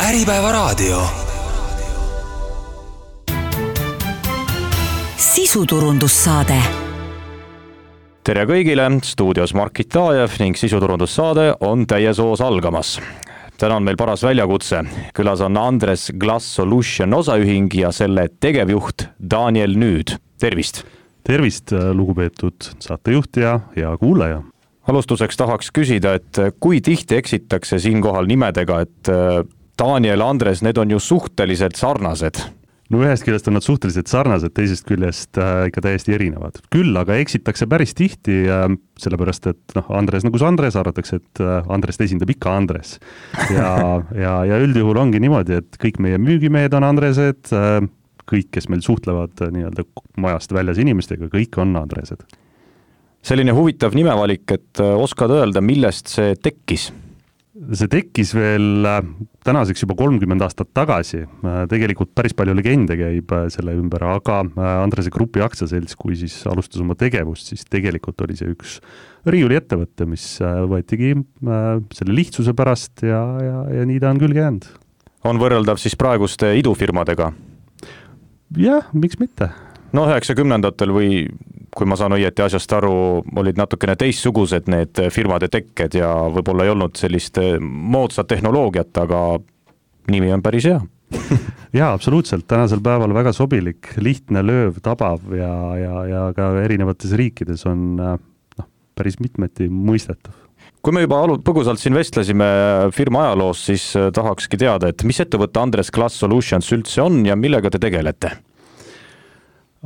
Äripäevaraadio. Sisuturundussaade. Tere kõigile, stuudios Markit Taajev ning sisuturundussaade on täies hoos algamas. Täna on meil paras väljakutse. Külas on Andres Glass Solution osaühing ja selle tegevjuht Daniel Nüüd. Tervist! Tervist, lugupeetud saatejuht ja kuulaja. Alustuseks tahaks küsida, et kui tihti eksitakse siinkohal nimedega, et Daniel, Andres, need on ju suhteliselt sarnased. No ühest küljest on nad suhteliselt sarnased, teisest küljest ikka täiesti erinevad. Küll aga eksitakse päris tihti, sellepärast et Andres nagu Andres, arvatakse, et Andrest esindab ikka Andres. Ja üldjuhul ongi niimoodi, et kõik meie müügimehed on Andresed, kõik, kes meil suhtlevad nii-öelda majast väljas inimestega, kõik on Andresed. Selline huvitav nimevalik, et oskad öelda, millest see tekkis? See tekkis veel tänaseks juba 30 aastat tagasi. Tegelikult päris palju legende käib selle ümber, aga Andrese Grupi aktsiaselts, kui siis alustas oma tegevust, siis tegelikult oli see üks riiuli ettevõtte, mis võetigi selle lihtsuse pärast ja nii ta on küll jäänud. On võrreldav siis praeguste idufirmadega? Jah, miks mitte? No 90-ndatel või kui ma saan õieti asjast aru, olid natukene teistsugused need firmade tekked ja võib-olla ei olnud sellist moodsat tehnoloogiat, aga nimi on päris hea. Jaa, absoluutselt. Tänasel päeval väga sobilik, lihtne, lööv, tabav ja ka erinevates riikides on päris mitmeti mõistetav. Kui me juba põgusalt siin vestlesime firma ajaloos, siis tahakski teada, et mis ettevõtte Andres Glass Solutions üldse on ja millega te tegelete?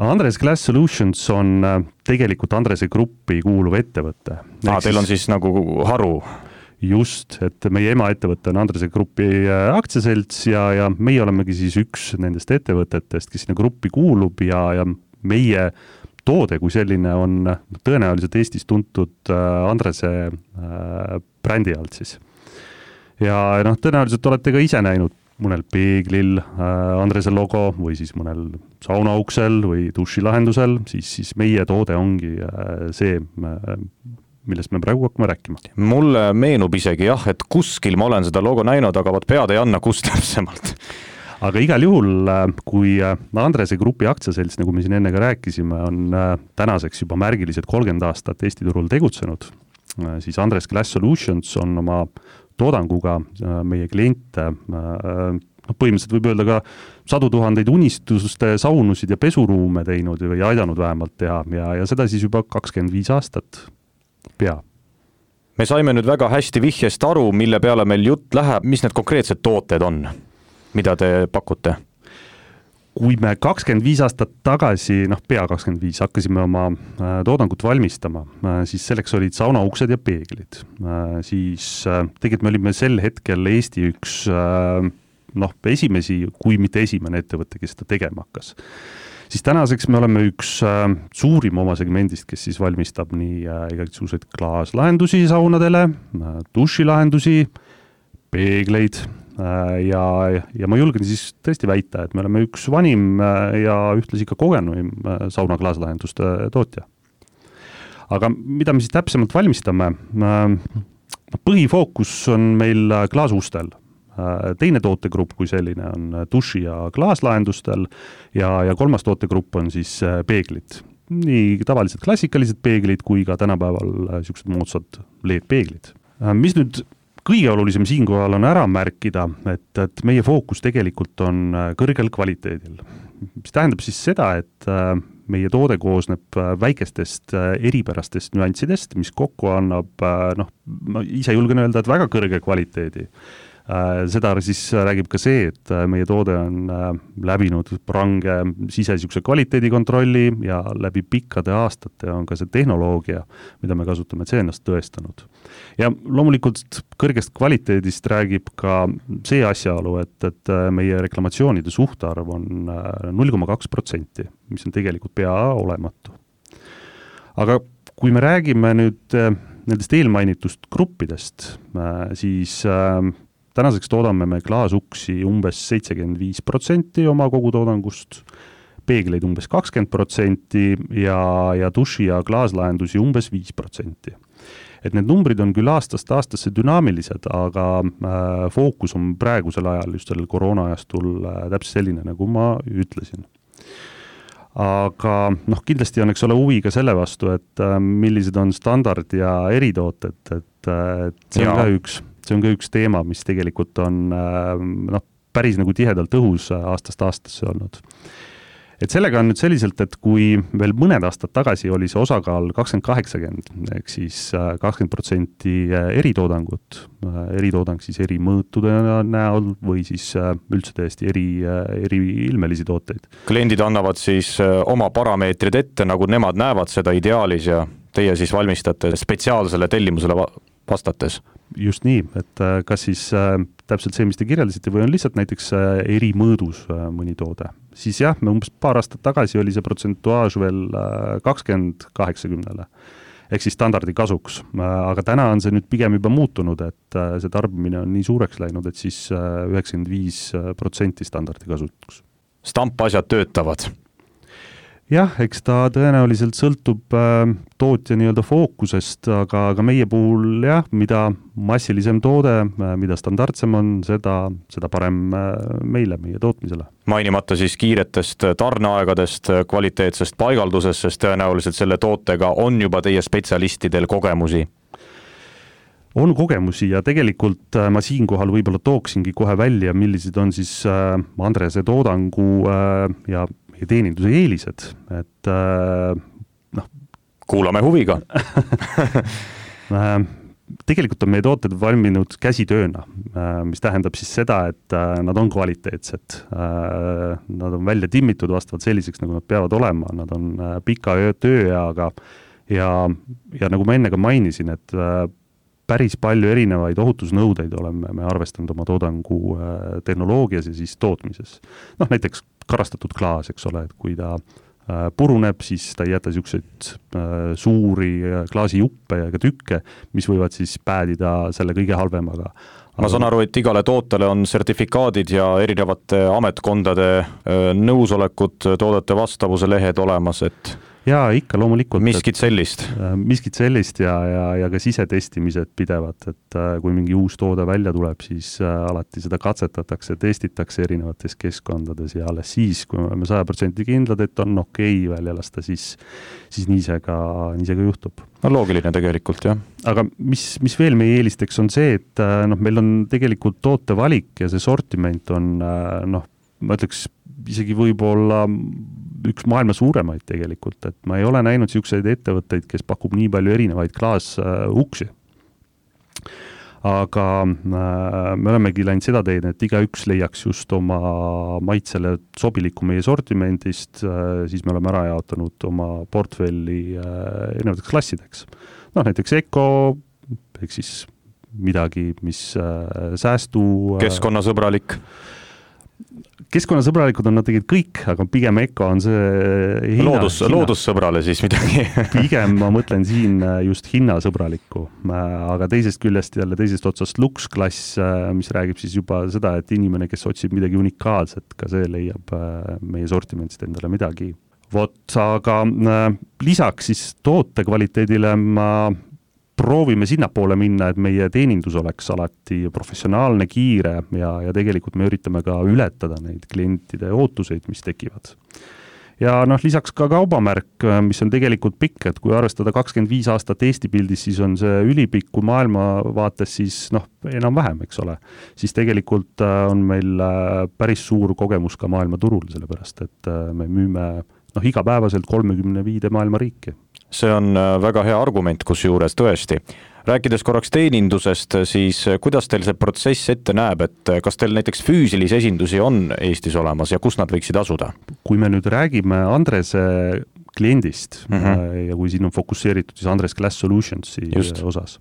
Andres Glass Solutions on tegelikult Andrese Gruppi kuuluv ettevõte. Teil on siis nagu haru? Just, et meie emaettevõte on Andrese Gruppi aktsiaselts ja meie olemegi siis üks nendest ettevõtetest, kes sinna gruppi kuulub ja meie toode kui selline on tõenäoliselt Eestis tuntud Andrese brändi alt siis. Ja tõenäoliselt olete ka ise näinud mõnel peeglil Andrese logo või siis mõnel saunauksel või dušilahendusel, siis meie toode ongi see, millest me praegu hakkame rääkima. Mulle meenub isegi jah, et kuskil ma olen seda logo näinud, aga pead ei anna kust täpsemalt. Aga igal juhul, kui Andrese Grupi aktsiaselts, nagu me siin enne ka rääkisime, on tänaseks juba märgilised 30 aastat Eesti turul tegutsenud, siis Andres Glass Solutions on oma toodanguga meie kliente, põhimõtteliselt võib öelda ka 100 000 unistuste saunusid ja pesuruume teinud või aidanud vähemalt teha ja seda siis juba 25 aastat pea. Me saime nüüd väga hästi vihjest aru, mille peale meil jutt läheb, mis need konkreetsed tooted on, mida te pakute? Kui me 25 aastat tagasi, pea 25, hakkasime oma toodangut valmistama, siis selleks olid saunauksed ja peeglid. Siis tegelikult me olime sel hetkel Eesti üks esimesi, kui mitte esimene ettevõte, kes seda tegema hakkas. Siis tänaseks me oleme üks suurim oma segmendist, kes siis valmistab nii igasugused klaaslahendusi saunadele, dušilahendusi, peegleid ja ma julgen siis tõesti väita, et me oleme üks vanim ja ühtlasi ka kogenuim sauna klaaslahenduste tootja. Aga mida me siis täpsemalt valmistame? Põhifookus on meil klaasustel. Teine tootegrupp kui selline on duši- ja klaaslahendustel ja kolmas tootegrupp on siis peeglid. Nii tavalised klassikalised peeglid kui ka tänapäeval sellised moodsad LED-peeglid. Mis nüüd kõige olulisem siinkohal on ära märkida, et meie fookus tegelikult on kõrgel kvaliteedil. Mis tähendab siis seda, et meie toode koosneb väikestest eripärastest nüanssidest, mis kokku annab, ma ise julgen öelda, et väga kõrge kvaliteedi. Seda siis räägib ka see, et meie toode on läbinud range sisesuguse kvaliteedikontrolli ja läbi pikkade aastate on ka see tehnoloogia, mida me kasutame, see ennast tõestanud. Ja loomulikult kõrgest kvaliteedist räägib ka see asjaolu, et meie reklamatsioonide suhtarv on 0,2%, mis on tegelikult pea olematu. Aga kui me räägime nüüd nendest eelmainitust gruppidest, siis tänaseks toodame me klaasuksi umbes 75% oma kogutoodangust, peegleid umbes 20% ja duši- ja klaaslahendusi umbes 5%. et need numbrid on küll aastast aastasse dünaamilised, aga fookus on praegusel ajal just sellel koroonaajastul täpselt selline, nagu ma ütlesin. Aga kindlasti on, eks ole, huvi ka selle vastu, et millised on standard- ja eritooted, et see on ka üks teema, mis tegelikult on päris nagu tihedalt õhus aastast aastasse olnud. Et sellega on nüüd selliselt, et kui veel mõned aastad tagasi oli see osakaal 20-80, ehk siis 20% eritoodangut, eritoodang siis eri mõõtude näol või siis üldse täiesti eri ilmelisi tooteid. Kliendid annavad siis oma parameetrid ette, nagu nemad näevad seda ideaalis ja teie siis valmistate spetsiaalsele tellimusele vastates. Just nii, et kas siis täpselt see, mis te kirjeldasite, või on lihtsalt näiteks eri mõõdus mõni toode. Siis jah, me umbes paar aastat tagasi oli see protsentuaaž veel 20-80-le, ehk siis standardi kasuks. Aga täna on see nüüd pigem juba muutunud, et see tarbimine on nii suureks läinud, et siis 95% standardi kasuks. Stampasjad töötavad. Jah, eks ta tõenäoliselt sõltub tootja nii-öelda fookusest, aga meie puhul jah, mida massilisem toode, mida standardsem on, seda parem meile, meie tootmisele. Mainimata siis kiiretest tarneaegadest, kvaliteetsest paigaldusest, sest tõenäoliselt selle tootega on juba teie spetsialistidel kogemusi. On kogemusi ja tegelikult ma siinkohal võib-olla tooksingi kohe välja, millised on siis Andrese toodangu ja teeninduse eelised, et kuulame huviga. Tegelikult on meie tooted valminud käsitööna, mis tähendab siis seda, et nad on kvaliteetsed. Nad on välja timmitud vastavalt selliseks, nagu nad peavad olema. Nad on pika tööeaga ja nagu ma enne ka mainisin, et päris palju erinevaid ohutusnõudeid oleme me arvestanud oma toodangu tehnoloogias ja siis tootmises. Näiteks karastatud klaas, eks ole, et kui ta puruneb, siis ta ei jäta siukseid suuri klaasijuppe ja ka tükke, mis võivad siis päädida selle kõige halvemaga. Ma saan aru, et igale tootele on sertifikaadid ja erinevate ametkondade nõusolekud, toodete vastavuse lehed olemas, et jaa, ikka loomulikult. Miskit sellist ja ka sisetestimised pidevad, et kui mingi uus toode välja tuleb, siis alati seda katsetatakse, testitakse erinevates keskkondades ja alles siis, kui me oleme 100% kindlad, et on okei välja lasta, siis nii see ka juhtub. No loogiline tegelikult, jah. Aga mis veel meie eelisteks on see, et meil on tegelikult tootevalik ja see sortiment on, ma ütleks, isegi võib-olla üks maailma suuremaid tegelikult, et ma ei ole näinud siukseid ettevõtteid, kes pakub nii palju erinevaid klaasuksi. Aga me olemegi läinud seda teed, et igaüks leiaks just oma maitsele sobiliku meie sortimendist, siis me oleme ära jaotanud oma portfelli erinevateks klassideks. Näiteks Eco, ehk siis midagi, mis säästu keskkonnasõbralik. Keskkonnasõbralikud on nad tegelikult kõik, aga pigem Eco on see loodussõbrale siis midagi. Pigem ma mõtlen siin just hinnasõbralikku, aga teisest otsast Lux-klass, mis räägib siis juba seda, et inimene, kes otsib midagi unikaalset, ka see leiab meie sortimentist endale midagi. Aga lisaks siis toote kvaliteedile ma proovime sinnapoole minna, et meie teenindus oleks alati professionaalne, kiire ja tegelikult me üritame ka ületada neid klientide ootuseid, mis tekivad. Ja lisaks ka kaubamärk, mis on tegelikult pikk, et kui arvestada 25 aastat Eesti pildis, siis on see ülipikku maailma vaates siis enam vähem, eks ole. Siis tegelikult on meil päris suur kogemus ka maailma turul, sellepärast et me müüme igapäevaselt 35 maailma riiki. See on väga hea argument, kus juures tõesti. Rääkides korraks teenindusest, siis kuidas teil see protsess ette näeb, et kas teil näiteks füüsilisi esindusi on Eestis olemas ja kus nad võiksid asuda? Kui me nüüd räägime Andrese kliendist ja kui siin on fokusseeritud siis Andres Glass Solutionsi osas,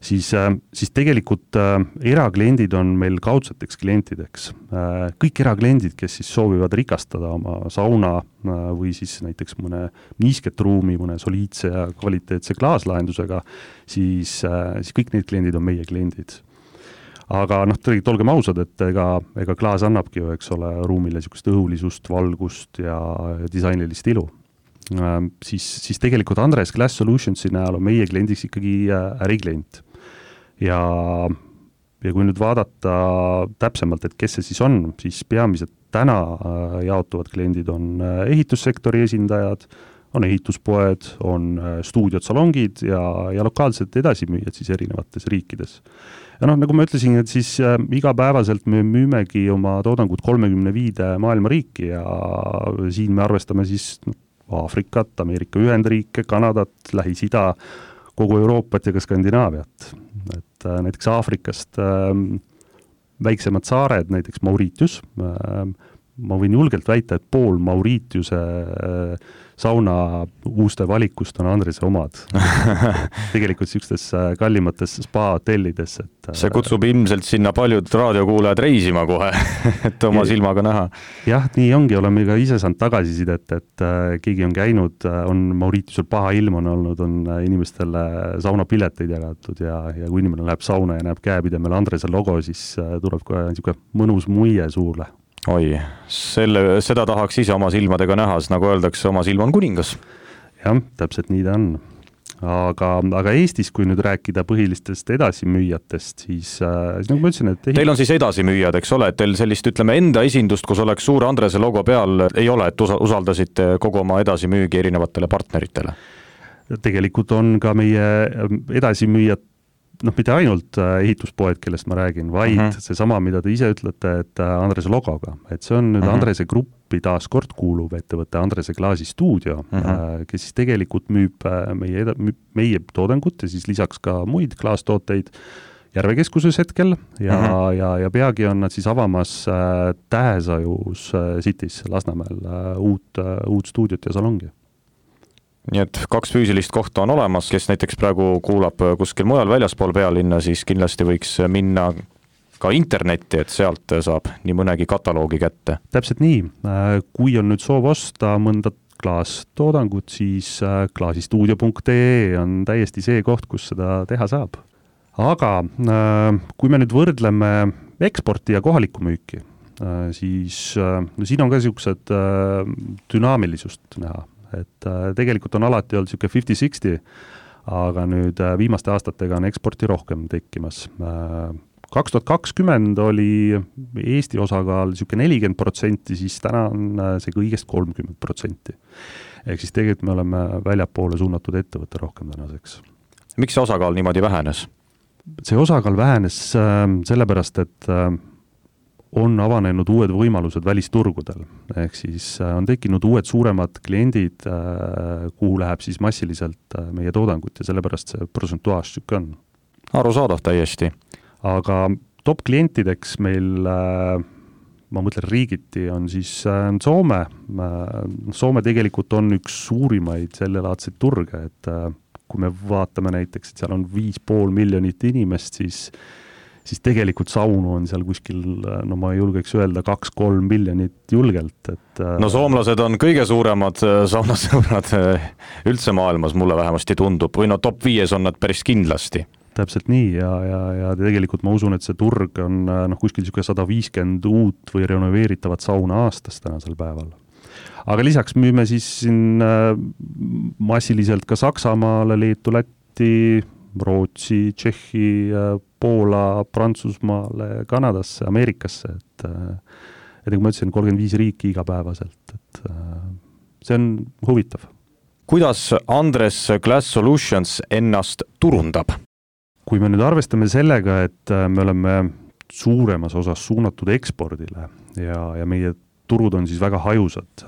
siis tegelikult erakliendid on meil kaudseteks klientideks. Kõik erakliendid, kes siis soovivad rikastada oma sauna või siis näiteks mõne niisket ruumi, mõne soliidse ja kvaliteetse klaaslahendusega, siis kõik need kliendid on meie kliendid. Aga tegelikult olgem ausad, et ega klaas annabki ju, eks ole, ruumile niisugust õhulisust, valgust ja disainilist ilu. siis tegelikult Andres Glass Solutionsi näol on meie kliendiks ikkagi äriklient. Ja kui nüüd vaadata täpsemalt, et kes see siis on, siis peamiselt täna jaotuvad kliendid on ehitussektori esindajad, on ehituspoed, on stuudiod, salongid ja lokaalsed edasimüüjad siis erinevates riikides. Ja nagu ma ütlesin, et siis igapäevaselt me müümegi oma toodangut 35 maailma riiki ja siin me arvestame siis Aafrikat, Ameerika Ühendriike, Kanadat, Lähis-Ida, kogu Euroopat ja ka Skandinaaviat. Et näiteks Aafrikast väiksemad saared, näiteks Mauritius, ma võin julgelt väita, et pool Mauritiuse sauna uuste valikust on Andrese omad. Tegelikult sellistes kallimates spa-hotellides. See kutsub ilmselt sinna paljud raadiokuulajad reisima kohe, et oma silmaga näha. Jah, nii ongi, oleme ka ise saanud tagasisidet, et keegi on käinud, on Mauritiusel paha ilm on olnud, on inimestele saunapileteid jagatud ja kui inimene läheb sauna ja näeb käepidemel Andrese logo, siis tuleb kohe niisugune mõnus muie suule. Oi, seda tahaks ise oma silmadega näha, nagu öeldakse, oma silm on kuningas. Jah, täpselt nii ta on. Aga Eestis, kui nüüd rääkida põhilistest edasimüüjatest, siis nagu ma ütlesin, et Teil on siis edasimüüjad, eks ole, et teil sellist, ütleme, enda esindust, kus oleks suur Andrese logo peal, ei ole, et usaldasite kogu oma edasimüügi erinevatele partneritele? Tegelikult on ka meie edasimüüjad mitte ainult ehituspoed, kellest ma räägin, vaid seesama, mida te ise ütlete, et Andrese logoga. Et see on nüüd Andrese gruppi taas kord kuuluv ettevõtte Andrese Glaasi stuudio, kes siis tegelikult müüb meie toodangut ja siis lisaks ka muid klaastooteid Järvekeskuses hetkel ja peagi on nad siis avamas Tähesajus City's Lasnamäel uut stuudiot ja salongi. Nii et 2 füüsilist kohta on olemas, kes näiteks praegu kuulab kuskil mujal väljaspool pealinna, siis kindlasti võiks minna ka internetti, et sealt saab nii mõnegi kataloogi kätte. Täpselt nii. Kui on nüüd soov osta mõnda klaastoodangut, siis klaasistuudio.ee on täiesti see koht, kus seda teha saab. Aga kui me nüüd võrdleme eksporti ja kohalikku müüki, siis siin on ka niisugused dünaamilisust näha. Et tegelikult on alati olnud siuke 50-60, aga nüüd viimaste aastatega on eksporti rohkem tekkimas. 2020 oli Eesti osakaal siuke 40%, siis täna on see kõigest 30%. Ehk siis tegelikult me oleme väljapoole suunatud ettevõtte rohkem tänaseks. Miks see osakaal niimoodi vähenes? See osakaal vähenes sellepärast, et on avanenud uued võimalused välisturgudel. Ehk siis on tekkinud uued suuremad kliendid, kuhu läheb siis massiliselt meie toodangut ja sellepärast see prosentuaaž süke on. Arusaadav täiesti. Aga top klientideks meil, ma mõtlen riigiti, on siis Soome. Soome tegelikult on üks suurimaid sellelaadseid turge, et kui me vaatame näiteks, et seal on 5,5 miljonit inimest, siis tegelikult saunu on seal kuskil, ma ei julgeks öelda 2-3 miljonit julgelt. No soomlased on kõige suuremad saunasõbrad üldse maailmas, mulle vähemasti tundub, või top 5 on nad päris kindlasti. Täpselt nii ja tegelikult ma usun, et see turg on kuskil 150 uut või renoveeritavat sauna aastas tänasel päeval. Aga lisaks müüme siis siin massiliselt ka Saksamaale, Leetu, Lätti, Rootsi, Tšehhi, Poola, Prantsusmaale, Kanadasse, Ameerikasse, et nagu ma ütlesin, 35 riiki igapäevaselt, et see on huvitav. Kuidas Andres Glass Solutions ennast turundab? Kui me nüüd arvestame sellega, et me oleme suuremas osas suunatud ekspordile ja meie turud on siis väga hajusad,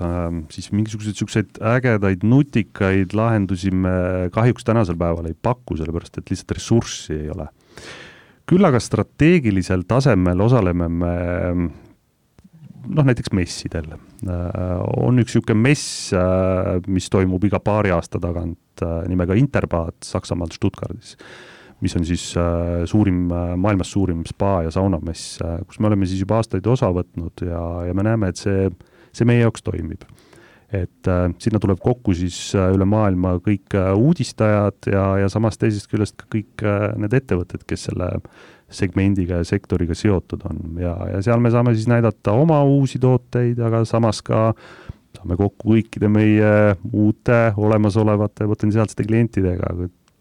siis mingisuguseid ägedaid, nutikaid lahendusi me kahjuks tänasel päeval ei paku, sellepärast et lihtsalt ressurssi ei ole. Küll aga strateegilisel tasemel osaleme me näiteks messidel. On üks siuke mess, mis toimub iga paari aasta tagant nimega Interbad Saksamaal Stuttgardis, mis on siis maailmas suurim spa- ja saunamess, kus me oleme siis juba aastaid osa võtnud ja me näeme, et see meie jaoks toimib. Et sinna tuleb kokku siis üle maailma kõik uudistajad ja samas teisest küljest ka kõik need ettevõtted, kes selle segmendiga ja sektoriga seotud on. Ja seal me saame siis näidata oma uusi tooteid, aga samas ka saame kokku kõikide meie uute olemasolevate potentsiaalsete klientidega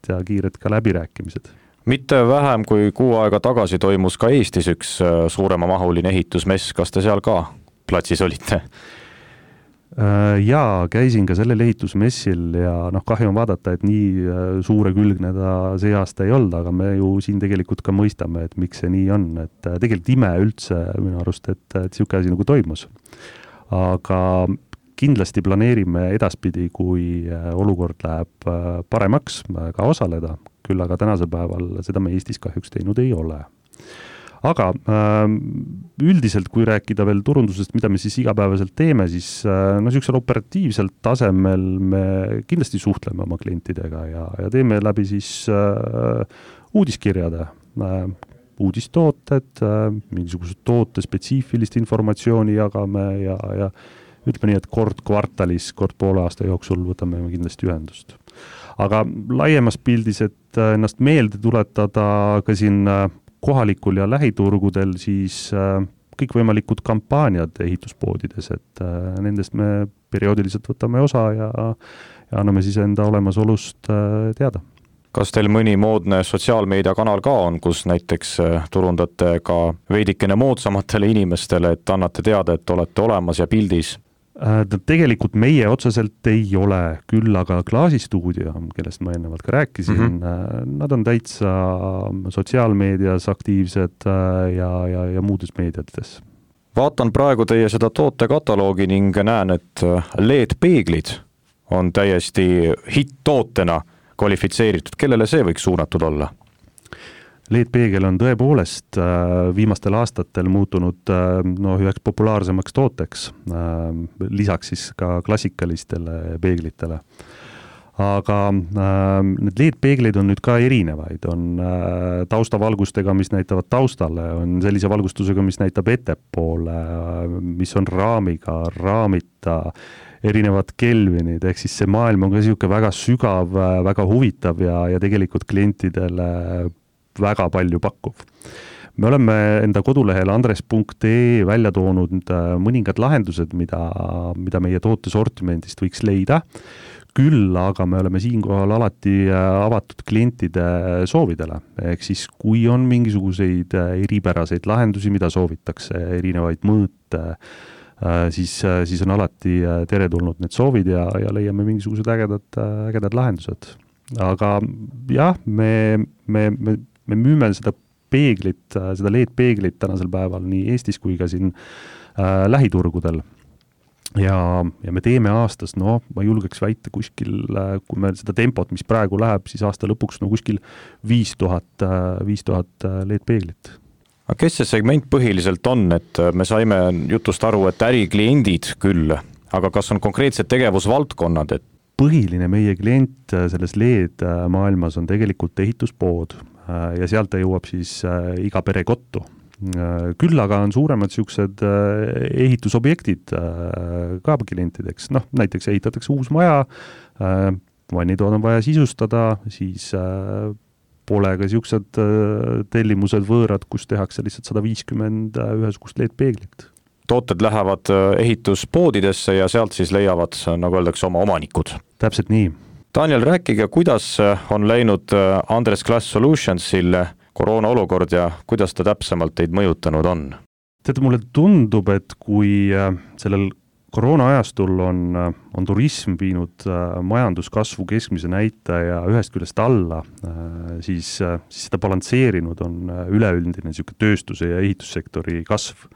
ja kiired ka läbirääkimised. Mitte vähem kui 6 aega tagasi toimus ka Eestis üks suuremamahuline ehitusmess, kas te seal ka platsis olite? Jaa, käisin ka sellel ehitusmessil ja kahju on vaadata, et nii suure külgne ta see aasta ei olnud, aga me ju siin tegelikult ka mõistame, et miks see nii on, et tegelikult ime üldse minu arust, et siuke asi nagu toimus. Aga kindlasti planeerime edaspidi, kui olukord läheb paremaks ka osaleda, küll aga tänasel päeval seda me Eestis kahjuks teinud ei ole. Aga üldiselt, kui rääkida veel turundusest, mida me siis igapäevaselt teeme, siis niisugusel operatiivselt tasemel me kindlasti suhtleme oma klientidega ja teeme läbi siis uudiskirjade, uudistooted, mingisugused toote spetsiifilist informatsiooni jagame ja ütleme nii, et kord kvartalis, kord poole aasta jooksul võtame kindlasti ühendust. Aga laiemas pildis, et ennast meelde tuletada ka siin kohalikul ja lähiturgudel, siis kõikvõimalikud kampaaniad ehituspoodides, et nendest me perioodiliselt võtame osa ja anname siis enda olemasolust teada. Kas teil mõni moodne sotsiaalmeediakanal ka on, kus näiteks turundate ka veidikene moodsamatele inimestele, et annate teada, et olete olemas ja pildis? Tegelikult meie otseselt ei ole, küll aga Klaasistuudio, kellest ma ennevalt ka rääkisin, nad on täitsa sotsiaalmeedias aktiivsed ja muudes meediates. Vaatan praegu teie seda tootekatalogi ning näen, et LED-peeglid on täiesti hitt-tootena kvalifitseeritud. Kellele see võiks suunatud olla? LED-peegel on tõepoolest viimastel aastatel muutunud üheks populaarsemaks tooteks, lisaks siis ka klassikalistele peeglitele. Aga need LED-peegleid on nüüd ka erinevaid, on taustavalgustega, mis näitavad taustale, on sellise valgustusega, mis näitab ettepoole, mis on raamiga, raamita, erinevad kelvinid, ehk siis see maailm on ka niisugune väga sügav, väga huvitav ja tegelikult klientidele väga palju pakkuv. Me oleme enda kodulehel andres.ee välja toonud mõningad lahendused, mida meie tootesortimendist võiks leida, küll aga me oleme siinkohal alati avatud klientide soovidele. Ehk siis, kui on mingisuguseid eripäraseid lahendusi, mida soovitakse, erinevaid mõõte, siis on alati teretulnud need soovid ja leiame mingisugused ägedad lahendused. Aga jah, me müüme seda peeglit, seda LED-peeglit tänasel päeval nii Eestis kui ka siin lähiturgudel. Ja me teeme aastas, ma julgeks väita kuskil, kui me seda tempot, mis praegu läheb, siis aasta lõpuks kuskil 5000 LED-peeglit. Aga kes see segment põhiliselt on, et me saime jutust aru, et ärikliendid küll, aga kas on konkreetsed tegevusvaldkonnad? Põhiline meie klient selles LED maailmas on tegelikult ehituspood ja sealt ta jõuab siis iga pere kottu. Küll aga on suuremad siuksed ehitusobjektid ka klientideks. Näiteks ehitatakse uus maja, vannitoad on vaja sisustada, siis pole ka siuksed tellimused võõrad, kus tehakse lihtsalt 150 ühesugust LED-peeglit. Tooted lähevad ehituspoodidesse ja sealt siis leiavad, nagu öeldakse, oma omanikud. Täpselt nii. Daniel, rääkige, kuidas on läinud Andres Glass Solutionsil koroona olukord ja kuidas ta täpsemalt teid mõjutanud on? Teate, mulle tundub, et kui sellel koroona ajastul on turism viinud majanduskasvu keskmise näitaja ühest küljest alla, siis seda balansseerinud on üleüldine tööstuse ja ehitussektori kasv,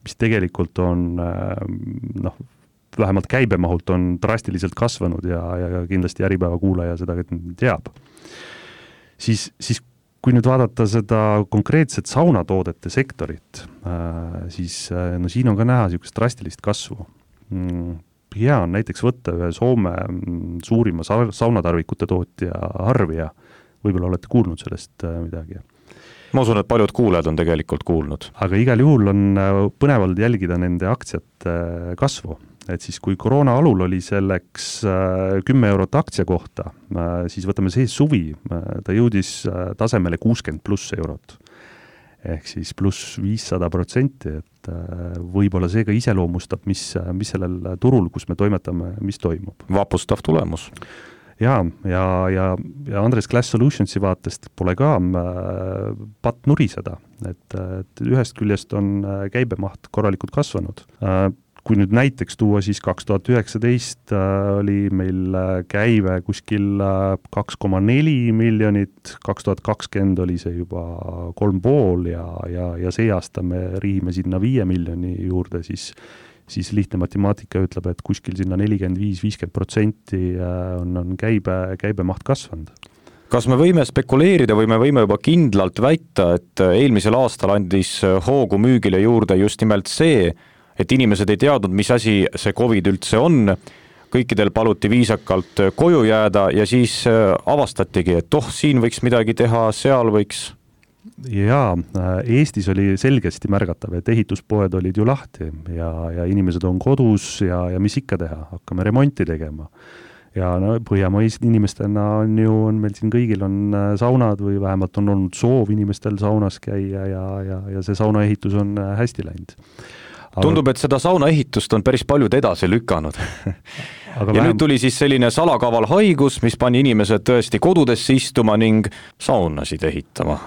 mis tegelikult on vähemalt käibemahult on drastiliselt kasvanud ja kindlasti Äripäeva kuulaja seda teab. Siis kui nüüd vaadata seda konkreetset saunatoodete sektorit, siis siin on ka näha niisugust drastilist kasvu. Hea on näiteks võtta ühe Soome suurima saunatarvikute tootja Harvia. Võib-olla olete kuulnud sellest midagi. Ma usun, et paljud kuulajad on tegelikult kuulnud. Aga igal juhul on põnevalt jälgida nende aktsiate kasvu. Et siis kui koroona alul oli selleks 10 eurot aktsia kohta, siis võtame see suvi, ta jõudis tasemele 60+ eurot. ehk siis pluss 500%, et võib-olla see ka iseloomustab, mis sellel turul, kus me toimetame, mis toimub. Vapustav tulemus. ja Andres Glass Solutionsi vaatest pole ka patt nuriseda, et ühest küljest on käibemaht korralikult kasvanud. Kui nüüd näiteks tuua, siis 2019 oli meil käive kuskil 2,4 miljonit, 2020 oli see juba 3,5 ja see aasta me riime sinna 5 miljoni juurde, siis lihtne matemaatika ütleb, et kuskil sinna 45-50% on käibemaht kasvanud. Kas me võime spekuleerida või me võime juba kindlalt väita, et eelmisel aastal andis hoogu müügile juurde just nimelt see, et inimesed ei teadnud, mis asi see COVID üldse on, kõikidel paluti viisakalt koju jääda ja siis avastatigi, et siin võiks midagi teha, seal võiks? Jaa, Eestis oli selgesti märgatav, et ehituspoed olid ju lahti ja inimesed on kodus ja mis ikka teha, hakkame remonti tegema. Ja Põhjamaised inimestena on meil siin kõigil on saunad või vähemalt on olnud soov inimestel saunas käia ja see saunaehitus on hästi läinud. Tundub, et seda saunaehitust on päris paljud edasi lükanud. Ja nüüd tuli siis selline salakaval haigus, mis pani inimesed tõesti kodudesse istuma ning saunasid ehitama.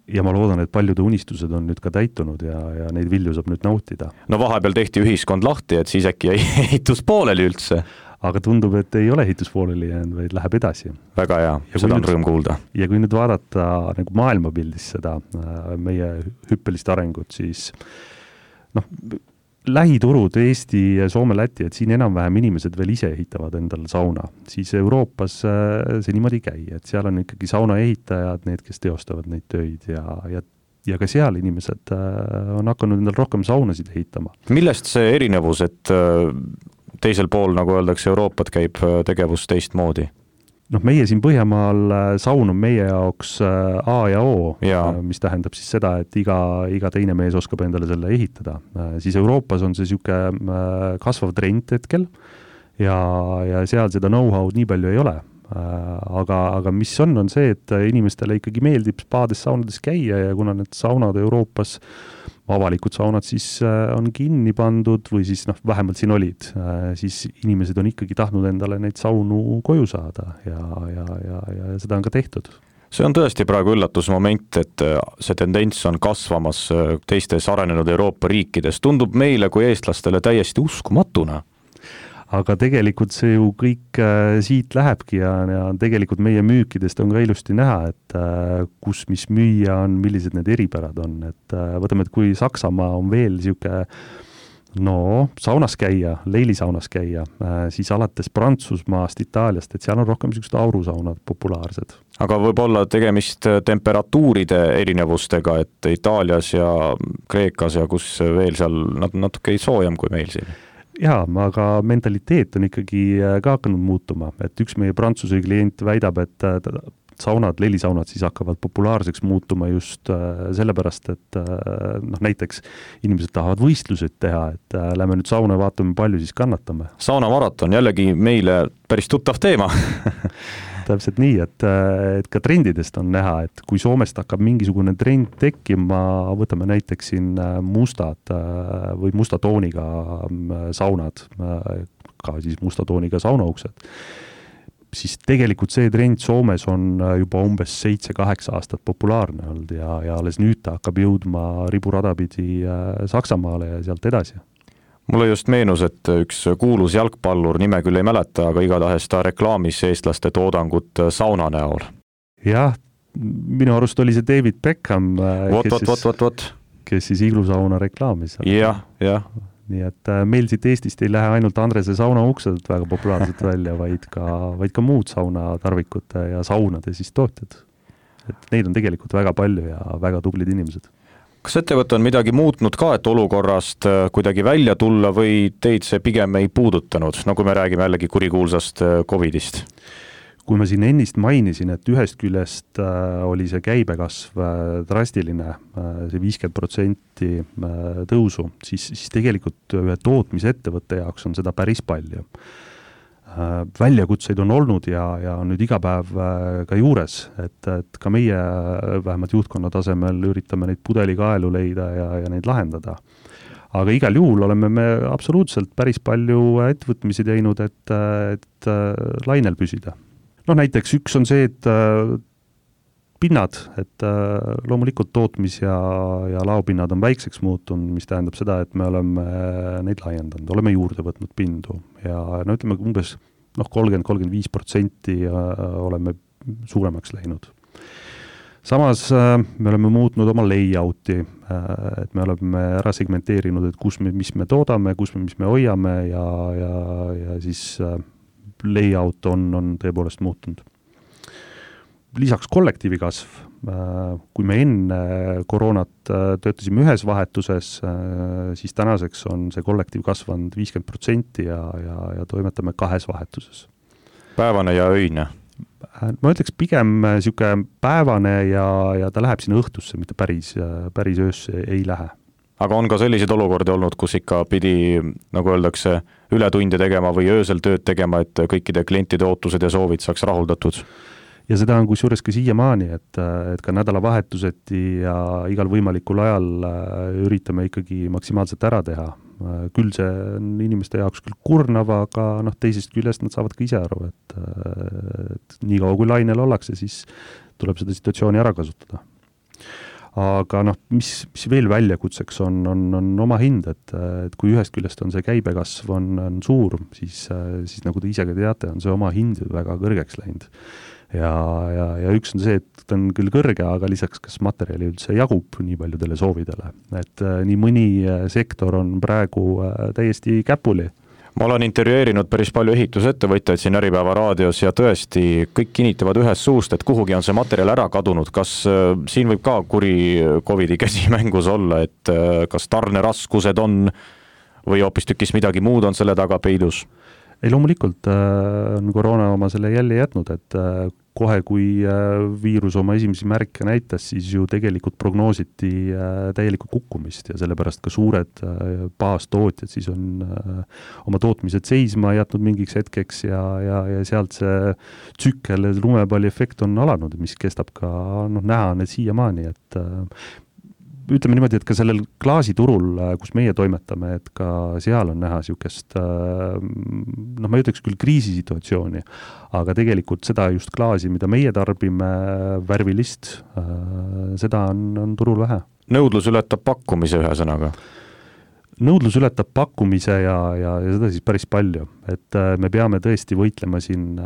Ja ma loodan, et paljude unistused on nüüd ka täitunud ja neid vilju saab nüüd nautida. No vahepeal tehti ühiskond lahti, et siis äkki ehitus pooleli üldse. Aga tundub, et ei ole ehitus pooleli jäänud, vaid läheb edasi. Väga hea, seda on rõõm kuulda. Ja kui nüüd vaadata nagu maailmapildis seda meie hüppelist arengut, siis lähiturud Eesti, Soome, Läti, et siin enam-vähem inimesed veel ise ehitavad endal sauna. Siis Euroopas see niimoodi käi, et seal on ikkagi sauna ehitajad, need, kes teostavad neid töid ja ka seal inimesed on hakanud endal rohkem saunasid ehitama. Millest see erinevus, et teisel pool, nagu öeldakse, Euroopat käib tegevus teistmoodi? Meie siin Põhjamaal saun on meie jaoks A ja O, mis tähendab siis seda, et iga teine mees oskab endale selle ehitada. Siis Euroopas on see siuke kasvav trend hetkel ja seal seda know-how'd nii palju ei ole. Aga mis on see, et inimestele ikkagi meeldib spaades saunades käia ja kuna need saunad Euroopas avalikud saunad siis on kinni pandud või siis vähemalt siin olid, siis inimesed on ikkagi tahtnud endale neid saunu koju saada ja seda on ka tehtud. See on tõesti praegu üllatusmoment, et see tendents on kasvamas teistes arenenud Euroopa riikides. Tundub meile kui eestlastele täiesti uskumatuna. Aga tegelikult see ju kõik siit lähebki ja tegelikult meie müükidest on ka ilusti näha, et kus mis müüa on, millised need eripärad on. Et võtame, et kui Saksamaa on veel siuke saunas käia, leilisaunas käia, siis alates Prantsusmaast, Itaaliast, et seal on rohkem siuksed aurusaunad populaarsed. Aga võib olla tegemist temperatuuride erinevustega, et Itaalias ja Kreekas ja kus veel seal natuke soojem kui meil siin? Jaa, aga mentaliteet on ikkagi ka hakanud muutuma, et üks meie Prantsuse klient väidab, et saunad, lelisaunad siis hakkavad populaarseks muutuma just sellepärast, et näiteks inimesed tahavad võistlused teha, et lähme nüüd sauna ja vaatame, palju siis kannatame. Saunamaraton, jällegi meile päris tuttav teema. Täpselt nii, et ka trendidest on näha, et kui Soomest hakkab mingisugune trend tekkima, võtame näiteks siin mustad või musta tooniga saunad, ka siis musta tooniga saunauksed, siis tegelikult see trend Soomes on juba umbes 7-8 aastat populaarne olnud ja alles nüüd ta hakkab jõudma riburadapidi Saksamaale ja sealt edasi. Mulle just meenus, et üks kuulus jalgpallur, nime küll ei mäleta, aga igatahes ta reklaamis eestlaste toodangut sauna näol. Jah, minu arust oli see David Beckham, kes siis iglusauna reklaamis. Jah. Nii et meil siit Eestist ei lähe ainult Andrese saunauksed väga populaarselt välja, vaid ka muud saunatarvikute ja saunade siis tootjad. Et neid on tegelikult väga palju ja väga tublid inimesed. Kas ettevõte on midagi muutnud ka, et olukorrast kuidagi välja tulla või teid see pigem ei puudutanud, nagu me räägime jällegi kurikuulsast COVIDist? Kui ma siin ennist mainisin, et ühest küljest oli see käibekasv drastiline, see 50% tõusu, siis tegelikult ühe tootmisettevõtte jaoks on seda päris palju. väljakutseid on olnud ja on nüüd iga päev ka juures, et ka meie vähemalt juhtkonna tasemel üritame neid pudelikaelu leida ja neid lahendada. Aga igal juhul oleme me absoluutselt päris palju ettevõtmisi teinud, et lainel püsida. Näiteks üks on see, et pinnad, et loomulikult tootmis- ja laopinnad on väikseks muutunud, mis tähendab seda, et me oleme neid laiendanud, oleme juurde võtnud pindu ja ütleme umbes 30-35% oleme suuremaks läinud. Samas me oleme muutnud oma layouti, et me oleme ära segmenteerinud, et mis me toodame, mis me hoiame ja siis layout on tõepoolest muutunud. Lisaks kollektiivi kasv, kui me enne koroonat töötasime ühes vahetuses, siis tänaseks on see kollektiiv kasvanud 50% ja toimetame 2 vahetuses. Päevane ja öine? Ma ütleks pigem siuke päevane ja ta läheb sinna õhtusse, mitte päris öösse ei lähe. Aga on ka selliseid olukordi olnud, kus ikka pidi, nagu öeldakse, ületunde tegema või öösel tööd tegema, et kõikide klientide ootused ja soovid saaks rahuldatud? Ja seda on kusjuures ka siiamaani, et ka nädalavahetuseti ja igal võimalikul ajal üritame ikkagi maksimaalselt ära teha. Küll see on inimeste jaoks küll kurnav, aga teisest küljest nad saavad ka ise aru, et nii kaua kui lainel ollakse, siis tuleb seda situatsiooni ära kasutada. Aga mis veel väljakutseks on oma hind, et kui ühest küljest on see käibekasv on suur, siis nagu te ise ka teate, on see oma hind väga kõrgeks läinud. Ja üks on see, et ta on küll kõrge, aga lisaks kas materjali üldse jagub nii paljudele soovidele. Et nii mõni sektor on praegu täiesti käpuli. Ma olen intervjueerinud päris palju ehitusettevõtjaid siin Äripäeva raadios ja tõesti kõik kinnitavad ühest suust, et kuhugi on see materjal ära kadunud. Kas siin võib ka kuri COVID-i käsi mängus olla, et kas tarneraskused on või hoopis tükis midagi muud on selle taga peidus? Ei, loomulikult on koroona oma selle jälle jätnud, et kohe kui viirus oma esimesi märke näitas, siis ju tegelikult prognoositi täielikku kukkumist ja sellepärast ka suured baastootjad siis on oma tootmised seisma jätnud mingiks hetkeks ja sealt see tsükkel, lumepalli efekt on alanud, mis kestab ka, näha on need siiamaani, et ütleme niimoodi, et ka sellel klaasiturul, kus meie toimetame, et ka seal on näha siukest, ma ei ütleks küll kriisisituatsiooni, aga tegelikult seda just klaasi, mida meie tarbime, värvilist, seda on turul vähe. Nõudlus ületab pakkumise ühe sõnaga? Nõudlus ületab pakkumise ja seda siis päris palju, et me peame tõesti võitlema siin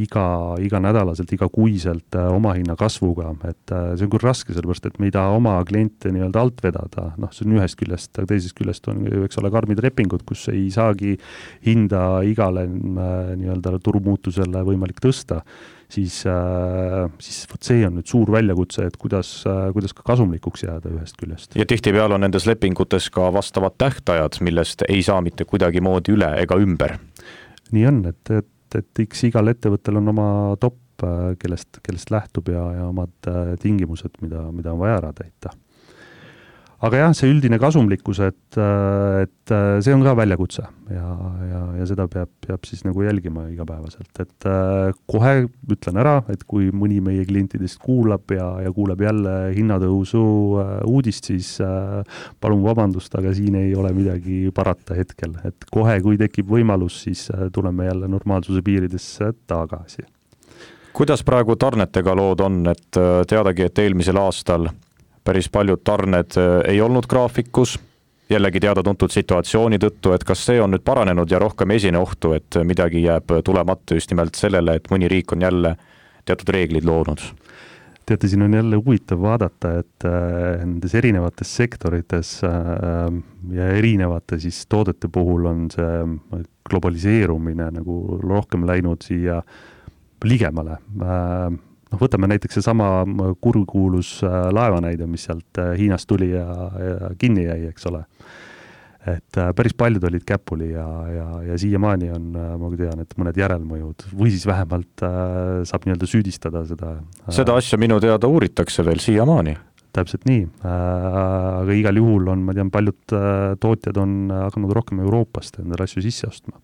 iga nädalaselt, iga kuiselt oma hinna kasvuga, et see on küll raske, sellepärast, et me ei taha oma kliente nii-öelda alt vedada, see on ühest küljest, aga teisest küljest on eks ole karmid repingud, kus ei saagi hinda igale nii-öelda turumuutusele võimalik tõsta, siis võt see on nüüd suur väljakutse, et kuidas ka kasumlikuks jääda ühest küljest. Ja tihtipeale on nendes lepingutes ka vastavad tähtajad, millest ei saa mitte kuidagi moodi üle ega ümber. Nii on, et igal ettevõttel on oma top, kellest lähtub ja omad tingimused, mida on vaja ära täita. Aga jah, see üldine kasumlikkus, et see on ka väljakutse ja seda peab siis nagu jälgima igapäevaselt, et kohe ütlen ära, et kui mõni meie klientidest kuulab ja kuuleb jälle hinnatõusu uudist, siis palun vabandust, aga siin ei ole midagi parata hetkel, et kohe, kui tekib võimalus, siis tuleme jälle normaalsuse piiridesse tagasi. Kuidas praegu tarnetega lood on, et teadagi, et eelmisel aastal päris paljud tarned ei olnud graafikus, jällegi teada-tuntud situatsiooni tõttu, et kas see on nüüd paranenud ja rohkem esine ohtu, et midagi jääb tulemata just nimelt sellele, et mõni riik on jälle teatud reeglid loonud? Teate, siin on jälle huvitav vaadata, et nendes erinevates sektorites ja erinevate siis toodete puhul on see globaliseerumine nagu rohkem läinud siia ligemale. Võtame näiteks see sama kurkuulus laevanäide, mis sealt Hiinast tuli ja kinni jäi, eks ole. Et päris paljud olid käpuli ja siiamaani on, ma tean, et mõned järelmõjud või siis vähemalt saab nii-öelda süüdistada seda. Seda asja minu teada uuritakse veel siiamaani. Täpselt nii, aga igal juhul on, ma tean, paljud tootjad on hakanud rohkem Euroopast endale asju sisse ostma.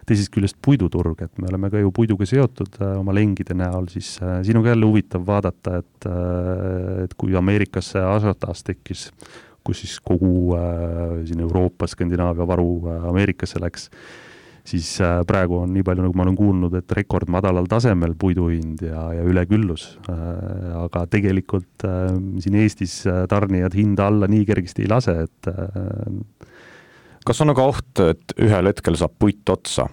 teisest küljest puiduturg, et me oleme ka ju puiduga seotud oma lengide näol, siis siin on ka jälle huvitav vaadata, et kui Ameerikas see ažiotaas tekkis, kus siis kogu siin Euroopa, Skandinaavia varu Ameerikasse läks, siis praegu on nii palju, nagu ma olen kuulnud, et rekord madalal tasemel puiduhind ja üleküllus. Aga tegelikult siin Eestis tarnijad hinda alla nii kergesti ei lase, et kas on aga oht, et ühel hetkel saab puit otsa?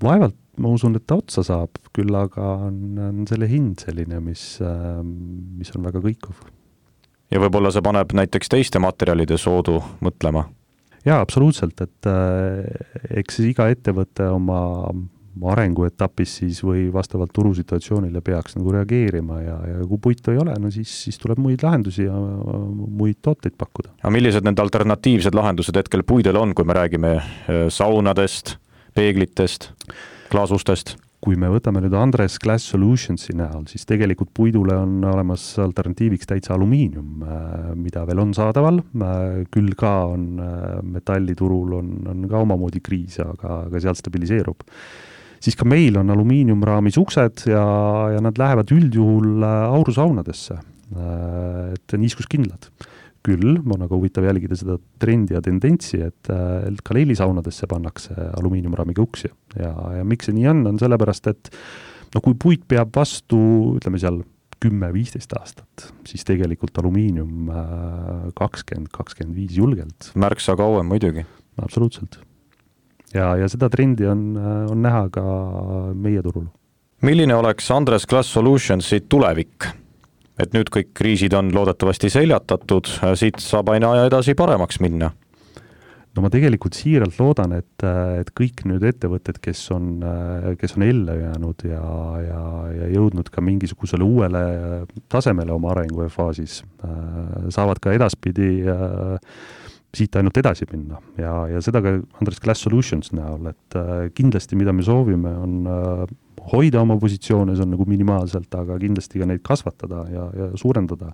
Vaevalt ma usun, et ta otsa saab, küll aga on selle hind selline, mis on väga kõikuv. Ja võib-olla see paneb näiteks teiste materjalide soodu mõtlema? Jaa, absoluutselt, et eks iga ettevõte oma arenguetapis siis või vastavalt turusituatsioonile peaks nagu reageerima ja kui puitu ei ole, no siis tuleb muid lahendusi ja muid tooteid pakkuda. Ja millised need alternatiivsed lahendused hetkel puidel on, kui me räägime saunadest, peeglitest, klaasustest? Kui me võtame nüüd Andres Glass Solutionsi näol, siis tegelikult puidule on olemas alternatiiviks täitsa alumiinium, mida veel on saadaval, küll ka on metalliturul on ka omamoodi kriis, aga sealt stabiliseerub. Siis ka meil on alumiiniumraamis uksed ja nad lähevad üldjuhul aurusaunadesse, et niiskuskindlad. Küll on aga huvitav jälgida seda trendi ja tendentsi, et ka leilisaunadesse pannakse alumiiniumraamiga uksi. Ja miks see nii on sellepärast, et kui puit peab vastu, ütleme seal 10-15 aastat, siis tegelikult alumiinium 20-25 julgelt. Märksa kauem muidugi. Absoluutselt. Ja seda trendi on näha ka meie turul. Milline oleks Andres Glass Solutionsi tulevik? Et nüüd kõik kriisid on loodetavasti seljatatud, siit saab aina edasi paremaks minna. No ma tegelikult siiralt loodan, et kõik nüüd ettevõtted, kes on elle jäänud ja jõudnud ka mingisugusele uuele tasemele oma arengufaasis, saavad ka edaspidi siit ainult edasi minna. Ja seda ka Andres Glass Solutions näol, et kindlasti mida me soovime on hoida oma positsioone, see on nagu minimaalselt, aga kindlasti ka neid kasvatada ja suurendada.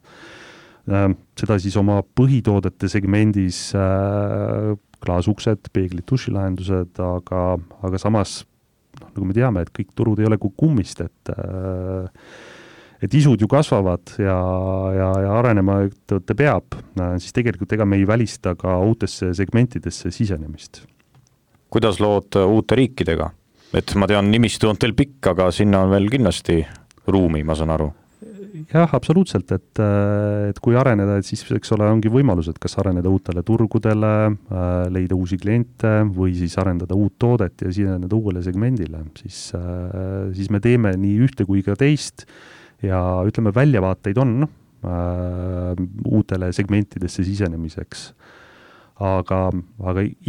Seda siis oma põhitoodete segmendis klaasuksed, peeglid, dušilahendused, aga samas, nagu me teame, et kõik turud ei ole kui kummist, et isud ju kasvavad ja arenema ettevõte peab, siis tegelikult ega me ei välista ka uutesse segmentidesse sisenemist. Kuidas lood uute riikidega? Et ma tean, nimistu on teil pikk, aga sinna on veel kindlasti ruumi, ma saan aru. Jah, absoluutselt, et kui areneda, et siis eks ole ongi võimalused, kas areneda uutele turgudele, leida uusi kliente või siis arendada uut toodet ja siseneda uuele segmendile, siis me teeme nii ühte kui ka teist ja ütleme, väljavaateid on uutele segmentidesse sisenemiseks. Aga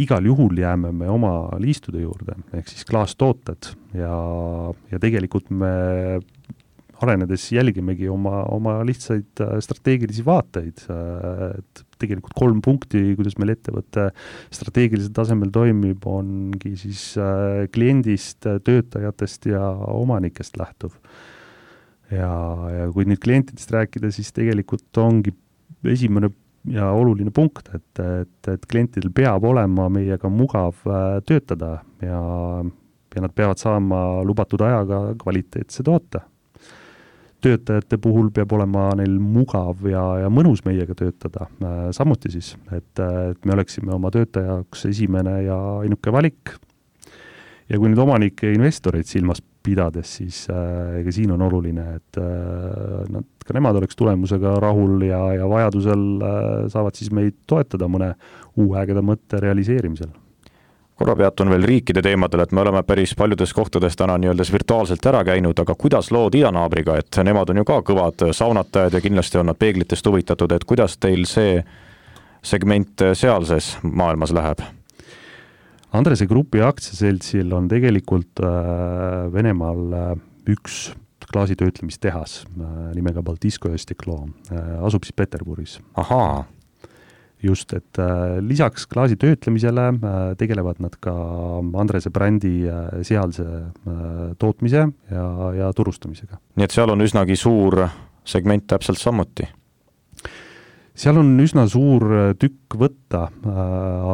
igal juhul jääme me oma liistude juurde, ehk siis klaastooted ja tegelikult me arenedes jälgimegi oma lihtsaid strateegilisi vaateid, et tegelikult 3 punkti, kuidas meil ettevõtte strateegilisel tasemel toimib, ongi siis kliendist, töötajatest ja omanikest lähtuv. Ja kui nüüd klientidest rääkida, siis tegelikult ongi esimene ja oluline punkt, et klientidel peab olema meiega mugav töötada ja nad peavad saama lubatud ajaga kvaliteetse toote. Töötajate puhul peab olema neil mugav ja mõnus meiega töötada. Samuti siis, et me oleksime oma töötajaks esimene ja ainuke valik. Ja kui nüüd omanike investoreid silmas pidades, siis ega siin on oluline, et ka nemad oleks tulemusega rahul ja vajadusel saavad siis meid toetada mõne uue ägeda mõtte realiseerimisel. Korra peatun veel riikide teemadel, et me oleme päris paljudes kohtades täna nii-öelda virtuaalselt ära käinud, aga kuidas lood idanaabriga, et nemad on ju ka kõvad saunatajad ja kindlasti on nad peeglitest huvitatud, et kuidas teil see segment sealses maailmas läheb? Andrese Grupi aktsiaseltsil on tegelikult Venemaal üks klaasitöötlemistehas nimega Baltisko ja Stiklo, asub siis Peterburis. Ahaa. Just, et lisaks klaasitöötlemisele tegelevad nad ka Andrese brändi sealse tootmise ja turustamisega. Nii et seal on üsnagi suur segment täpselt samuti? seal on üsna suur tükk võtta,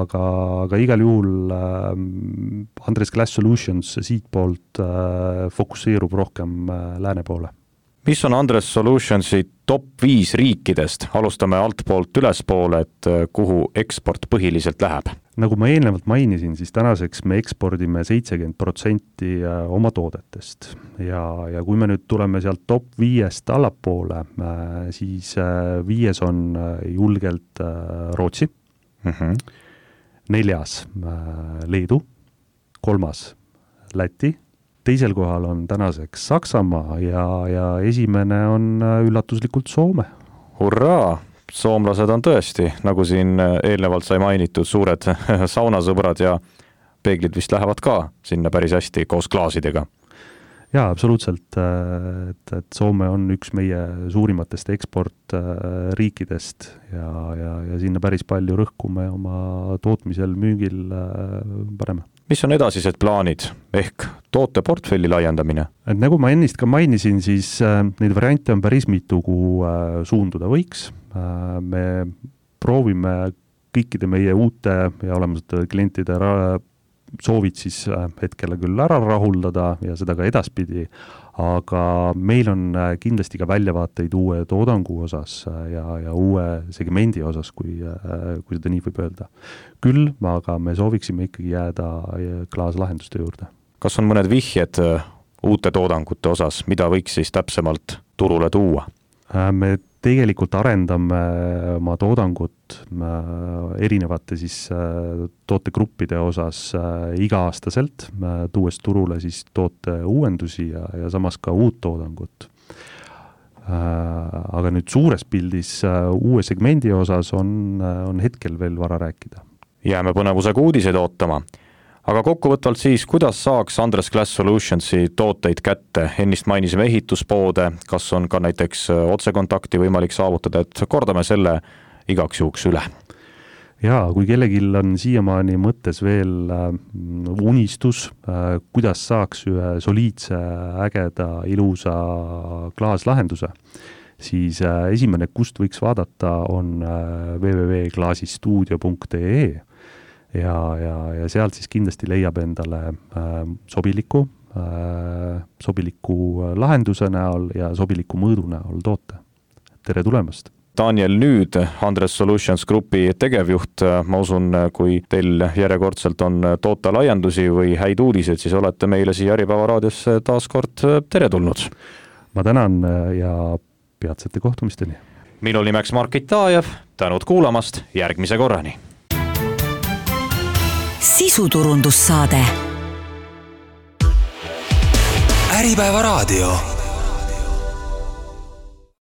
aga igal juhul Andres Glass Solutions siit poolt fokusseerub rohkem lääne poole. Mis on Andres Solutionsi top 5 riikidest? Alustame altpoolt ülespoole, et kuhu eksport põhiliselt läheb. Nagu ma eelnevalt mainisin, siis tänaseks me ekspordime 70% oma toodetest ja kui me nüüd tuleme sealt top 5-st allapoole, siis 5 on julgelt Rootsi, 4. Leedu, 3. Läti, teisel kohal on tänaseks Saksamaa ja esimene on üllatuslikult Soome. Hurraa! Soomlased on tõesti, nagu siin eelnevalt sai mainitud, suured saunasõbrad ja peeglid vist lähevad ka sinna päris hästi koos klaasidega. Jaa, absoluutselt, et Soome on üks meie suurimatest eksportriikidest ja sinna päris palju rõhkume oma tootmisel, müügil paneme. Mis on edasised plaanid ehk tooteportfelli laiendamine? Et nagu ma ennist ka mainisin, siis neid variante on päris mitu, kuhu suunduda võiks. Me proovime kõikide meie uute ja olemasate klientide soovid siis hetkele küll ära rahuldada ja seda ka edaspidi, aga meil on kindlasti ka väljavaateid uue toodangu osas ja uue segmendi osas, kui seda nii võib öelda. Küll, aga me sooviksime ikkagi jääda klaaslahenduste juurde. Kas on mõned vihjed uute toodangute osas, mida võiks siis täpsemalt turule tuua? Me tegelikult arendame oma toodangut erinevate siis tootegruppide osas iga-aastaselt, tuues turule siis toote uuendusi ja samas ka uut toodangut. Aga nüüd suures pildis uue segmendi osas on hetkel veel vara rääkida. Jääme põnevusega uudiseid ootama. Aga kokkuvõtvalt siis, kuidas saaks Andres Glass Solutionsi tooteid kätte? Ennist mainisime ehituspoode, kas on ka näiteks otsekontakti võimalik saavutada, et kordame selle igaks juhuks üle. Jaa, kui kellegil on siiamaani mõttes veel unistus, kuidas saaks ühe soliidse, ägeda, ilusa klaaslahenduse, siis esimene, kust võiks vaadata, on www.klaasistuudio.ee ja sealt siis kindlasti leiab endale sobiliku lahenduse näol ja sobiliku mõõdu näol toote. Tere tulemast! Daniel Nüüd, Andres Solutions Grupi tegevjuht, ma usun, kui teil järjekordselt on tootelaiendusi või häid uudiseid, siis olete meile siia Äripäeva raadiosse taas kord teretulnud. Ma tänan ja peatsete kohtumisteni. Minu nimeks Markit Taajev, tänud kuulamast, järgmise korrani! Sisuturundussaade. Äripäeva raadio.